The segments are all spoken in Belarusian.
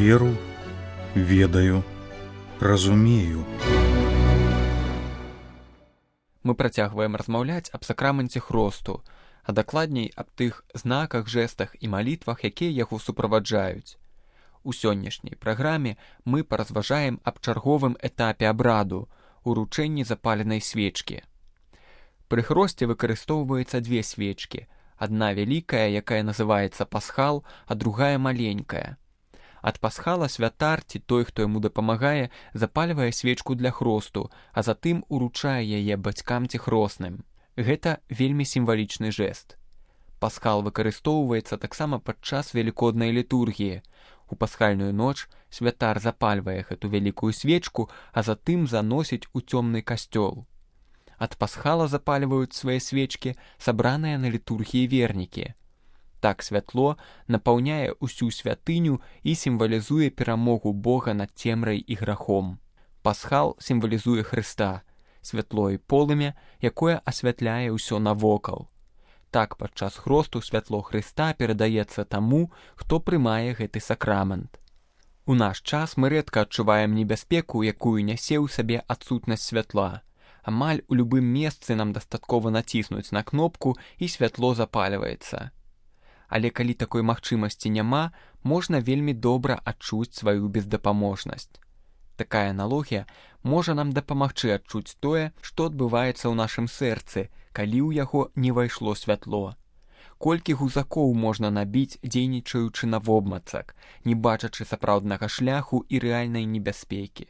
веру, ведаю, разумею. Мы працягваем размаўляць аб сакраменце хросту, а дакладней аб тых знаках, жэстах і малітвах, якія яго суправаджаюць. У сённяшняй праграме мы паразважаем аб чарговым этапе абраду — уручэнні запаленай свечкі. Пры хросце выкарыстоўваецца две свечкі, адна вялікая, якая называецца пасхал, а другая маленькая. Ад пасхала святар ці той, хто яму дапамагае, запальвае свечку для хросту, а затым уручае яе бацькам ці хросным. Гэта вельмі сімвалічны жэст. Пасхал выкарыстоўваецца таксама падчас велікоднай літургіі. У пасхальную ноч святар запальвае гэту вялікую свечку, а затым заносіць у цёмны касцёл. Ад пасхала запальваюць свае свечкі сабраныя на літургіі вернікі. Так святло напаўняе ўсю святыню і сімвалізуе перамогу Бога над цемрай і грахом. Пасхал сімвалізуе Хрыста, святло і полымя, якое асвятляе ўсё навокал. Так падчас хросту святло Хрыста перадаецца таму, хто прымае гэты сакрамент. У наш час мы рэдка адчуваем небяспеку, якую нясе ў сабе адсутнасць святла. Амаль у любым месцы нам дастаткова націснуць на кнопку і святло запальваецца. Але калі такой магчымасці няма, можна вельмі добра адчуць сваю бездапаможнасць. Такая аналогія можа нам дапамагчы адчуць тое, што адбываецца ў нашым сэрцы, калі ў яго не вайшло святло. Колькі гузакоў можна набіць, дзейнічаючы навобмацак, не бачачы сапраўднага шляху і рэальнай небяспекі.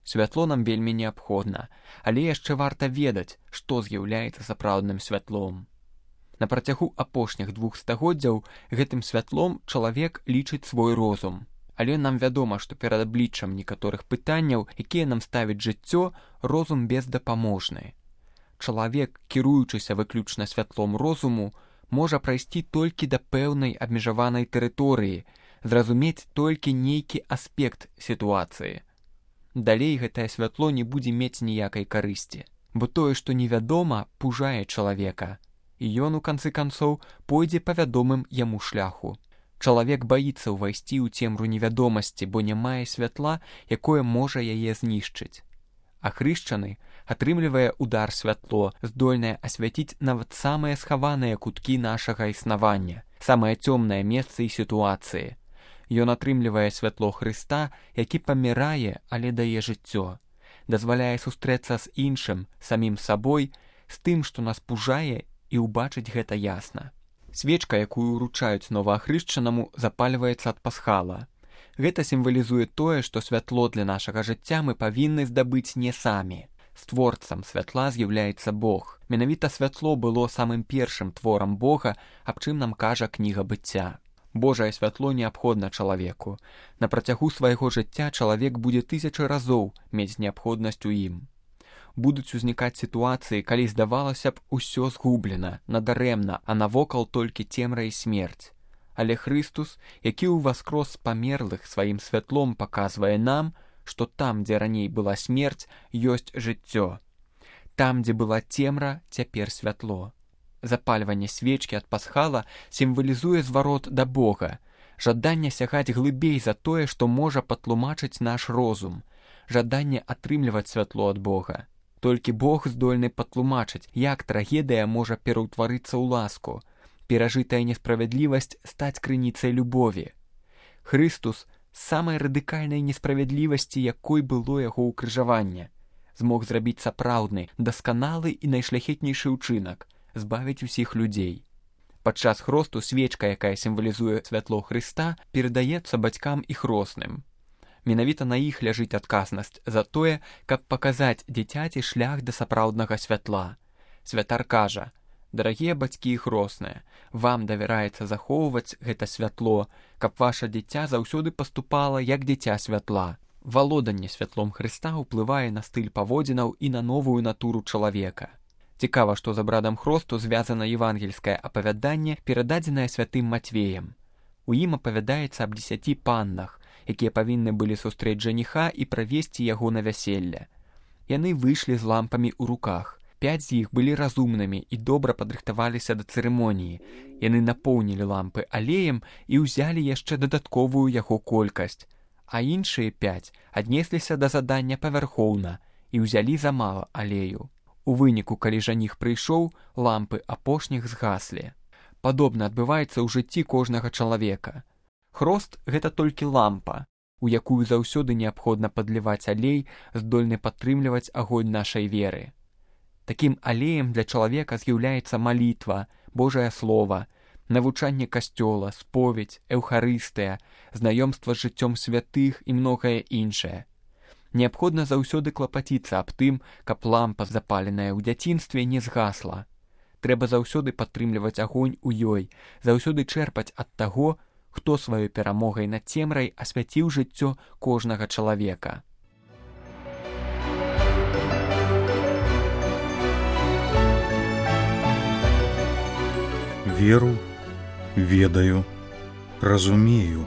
Святло нам вельмі неабходна, але яшчэ варта ведаць, што з'яўляецца сапраўдным святлом. На працягу апошніх 2 стагоддзяў гэтым святлом чалавек лічыць свой розум. Але нам вядома, што перад абліччам некаторых пытанняў, якія нам ставіць жыццё, розум бездапаможны. Чалавек, кіруючыся выключна святлом розуму, можа прайсці толькі да пэўнай абмежаванай тэрыторыі, зразумець толькі нейкі аспект сітуацыі. Далей гэтае святло не будзе мець ніякай карысці, бо тое, што невядома, пужае чалавека, і ён, у канцы канцоў, пойдзе па вядомым яму шляху. Чалавек баіцца ўвайсці ў цемру невядомасці, бо не мае святла, якое можа яе знішчыць. А хрышчаны атрымлівае удар святло, здольнае асвяціць нават самыя схаваныя куткі нашага існавання, самае цёмнае месца і сітуацыі. Ён атрымлівае святло Хрыста, які памірае, але дае жыццё. Дазваляе сустрэцца з іншым, самім сабой, з тым, што нас пужае, і ўбачыць гэта ясна. Свечка, якую ўручаюць новаахрышчанаму, запальваецца ад пасхала. Гэта сімвалізуе тое, што святло для нашага жыцця мы павінны здабыць не самі. Створцам святла з'яўляецца Бог. Менавіта святло было самым першым творам Бога, аб чым нам кажа кніга быцця. Божае святло неабходна чалавеку. На працягу свайго жыцця чалавек будзе 1000 разоў мець неабходнасць у ім. Будуць узнікаць сітуацыі, калі здавалася б усё згублена, надарэмна, а навокал толькі цемра і смерць. Але Хрыстус, які ўваскрос з памерлых сваім святлом паказвае нам, што там, дзе раней была смерць, ёсць жыццё. Там, дзе была цемра, цяпер святло. Запальванне свечкі ад пасхала сімвалізуе зварот да Бога, жаданне сягаць глыбей за тое, што можа патлумачыць наш розум, жаданне атрымліваць святло ад Бога. Толькі Бог здольны патлумачыць, як трагедыя можа пераўтварыцца ў ласку, перажытая несправядлівасць стаць крыніцай любові. Хрыстус з самай радыкальнай несправядлівасці, якой было яго ўкрыжаванне, змог зрабіць сапраўдны, дасканалы і найшляхетнейшы ўчынак — збавіць усіх людзей. Падчас хросту свечка, якая сімвалізуе святло Хрыста, перадаецца бацькам і хросным. Менавіта на іх ляжыць адказнасць за тое, каб паказаць дзіцяці шлях да сапраўднага святла. Святар кажа: «Дарагія бацькі і хросныя, вам давяраецца захоўваць гэта святло, каб ваша дзіця заўсёды паступала як дзіця святла». Валоданне святлом Хрыста ўплывае на стыль паводзінаў і на новую натуру чалавека. Цікава, што з абрадам хросту звязана евангельскае апавяданне, перададзенае святым Матвеем. У ім апавядаецца аб 10 паннах, якія павінны былі сустрэць жаніха і правесці яго на вяселле. Яны выйшлі з лампамі ў руках. 5 з іх былі разумнымі і добра падрыхтаваліся да цырымоніі. Яны напоўнілі лампы алеем і ўзялі яшчэ дадатковую яго колькасць. а іншыя 5 аднесліся да задання павярхоўна і ўзялі замала алею. У выніку, калі жаніх прыйшоў, лампы апошніх згаслі. Падобна адбываецца ў жыцці кожнага чалавека. Хрост – гэта толькі лампа, у якую заўсёды неабходна падліваць алей, здольны падтрымліваць агонь нашай веры. Такім алеем для чалавека з'яўляецца малітва, Божае Слова, навучанне касцёла, споведь, эўхарыстыя, знаёмства з жыццём святых і многае іншае. Неабходна заўсёды клапаціцца аб тым, каб лампа, запаленая ў дзяцінстве, не згасла. Трэба заўсёды падтрымліваць агонь у ёй, заўсёды чэрпаць ад таго, хто сваёй перамогай над цемрай асвяціў жыццё кожнага чалавека. Веру, ведаю, разумею.